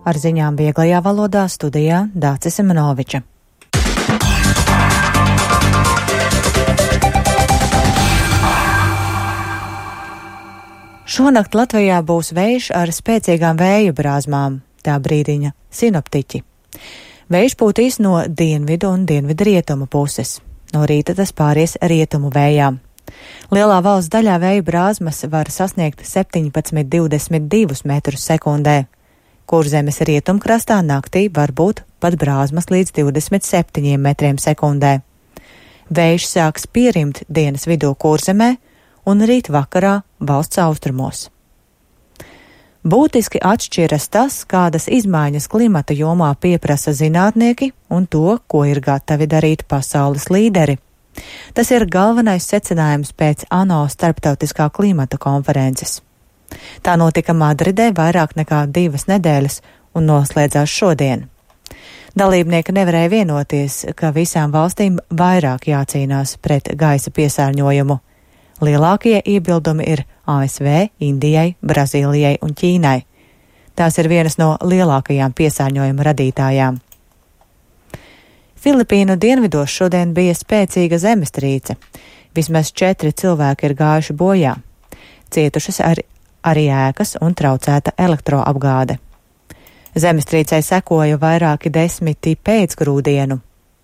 Ar ziņām vieglajā valodā studijā Dācis Simenoviča. Šonakt Latvijā būs vējš ar spēcīgām vēja brāzmām, tā brīdiņa sinoptiķi. Vējš pūtīs no dienvidu un dienvidrietumu puses. No rīta tas pāries rietumu vējām. Lielā valsts daļā vēja brāzmas var sasniegt 17–22 metrus sekundē. Kurzemes rietumkrastā naktī var būt pat brāzmas līdz 27 metriem sekundē. Vējš sāks pierimt dienas vidū Kurzemē un rīt vakarā valsts austrumos. Būtiski atšķiras tas, kādas izmaiņas klimata jomā pieprasa zinātnieki un to, ko ir gatavi darīt pasaules līderi. Tas ir galvenais secinājums pēc ANO starptautiskā klimata konferences. Tā notika Madridē vairāk nekā 2 nedēļas un noslēdzās šodien. Dalībnieki nevarēja vienoties, ka visām valstīm vairāk jācīnās pret gaisa piesārņojumu. Lielākie iebildumi ir ASV, Indijai, Brazīlijai un Ķīnai. Tās ir vienas no lielākajām piesārņojuma radītājām. Filipīnu dienvidos šodien bija spēcīga zemestrīce. Vismaz 4 cilvēki ir gājuši bojā. Cietušas arī ēkas un traucēta elektroapgāde. Zemestrīcei sekoja vairāki 10 pēcgrūdienu.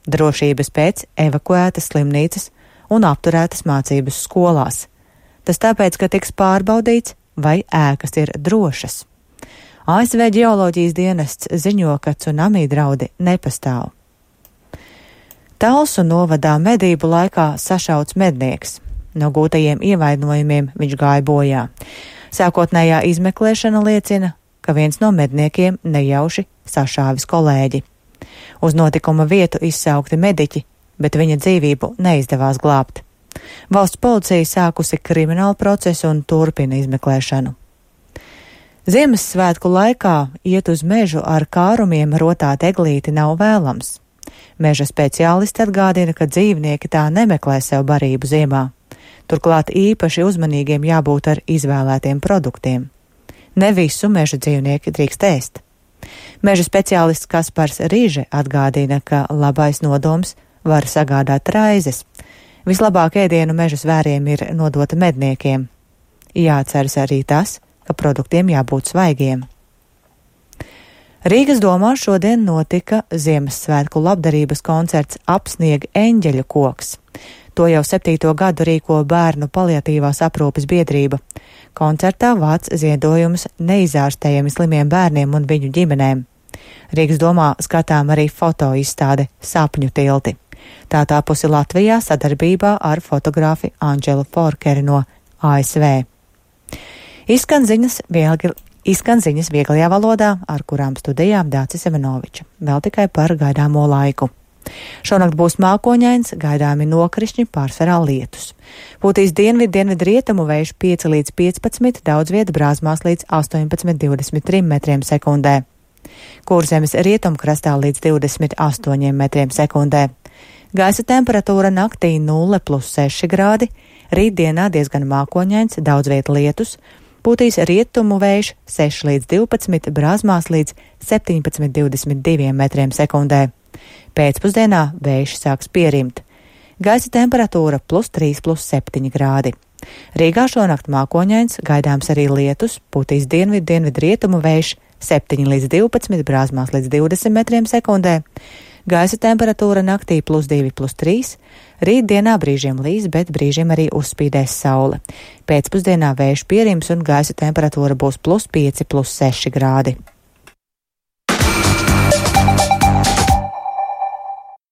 Drošības pēc evakuētas slimnīcas un apturētas mācības skolās. Tas tāpēc, ka tiks pārbaudīts, vai ēkas ir drošas. ASV ģeoloģijas dienests ziņo, ka tsunami draudi nepastāv. Talsu novadā medību laikā sašauts mednieks. No gūtajiem ievainojumiem viņš gāja bojā. Sākotnējā izmeklēšana liecina, ka viens no medniekiem nejauši sašāvis kolēģi. Uz notikuma vietu izsaukti mediķi, bet viņa dzīvību neizdevās glābt. Valsts policija sākusi kriminālu procesu un turpina izmeklēšanu. Ziemassvētku laikā iet uz mežu ar kārumiem rotāt eglīti nav vēlams. Meža speciālisti atgādina, ka dzīvnieki tā nemeklē sev barību ziemā. Turklāt īpaši uzmanīgiem jābūt ar izvēlētiem produktiem. Ne visu meža dzīvnieki drīkst ēst. Meža speciālists Kaspars Rīže atgādina, ka labais nodoms var sagādāt raizes. Vislabāk ēdienu meža zvēriem ir nodota medniekiem. Jāatceras arī tas, ka produktiem jābūt svaigiem. Rīgas domā šodien notika Ziemassvētku labdarības koncerts Apsnieg eņģeļu koks. To jau 7. gadu rīko Bērnu paliatīvās aprūpes biedrība. Koncertā vāc ziedojumus neizārstējami slimiem bērniem un viņu ģimenēm. Rīgas domā skatām arī fotoizstāde Sapņu tilti. Tā tapusi Latvijā sadarbībā ar fotogrāfi Andželu Forkeri no ASV. Izskan ziņas vieglajā valodā, ar kurām studijām Dācis Simenoviča. Vēl tikai par gaidāmo laiku. Šonakt būs mākoņains, gaidāmi nokrišņi, pārsvarā lietus. Pūtīs dienvidrietumu vējš 5–15, daudz vieta brāzmās līdz 18–23 metriem sekundē. Kurzemes rietumkrastā līdz 28 metriem sekundē. Gaisa temperatūra naktī 0+6 grādi, rītdienā diezgan mākoņains, daudz vieta lietus, pūtīs rietumu vējš 6–12, brāzmās līdz 17–22 metriem sekundē. Pēcpusdienā vējš sāks pierimt. Gaisa temperatūra +3+7 grādi. Rīgā šonakt mākoņains, gaidāms arī lietus, pūtīs dienvidrietumu vējš 7–12, brāzmās līdz 20 metriem sekundē. Gaisa temperatūra naktī +2+3, rītdienā brīžiem līs, bet brīžiem arī uzspīdēs saule. Pēcpusdienā vējš pierims un gaisa temperatūra būs +5+6 grādi.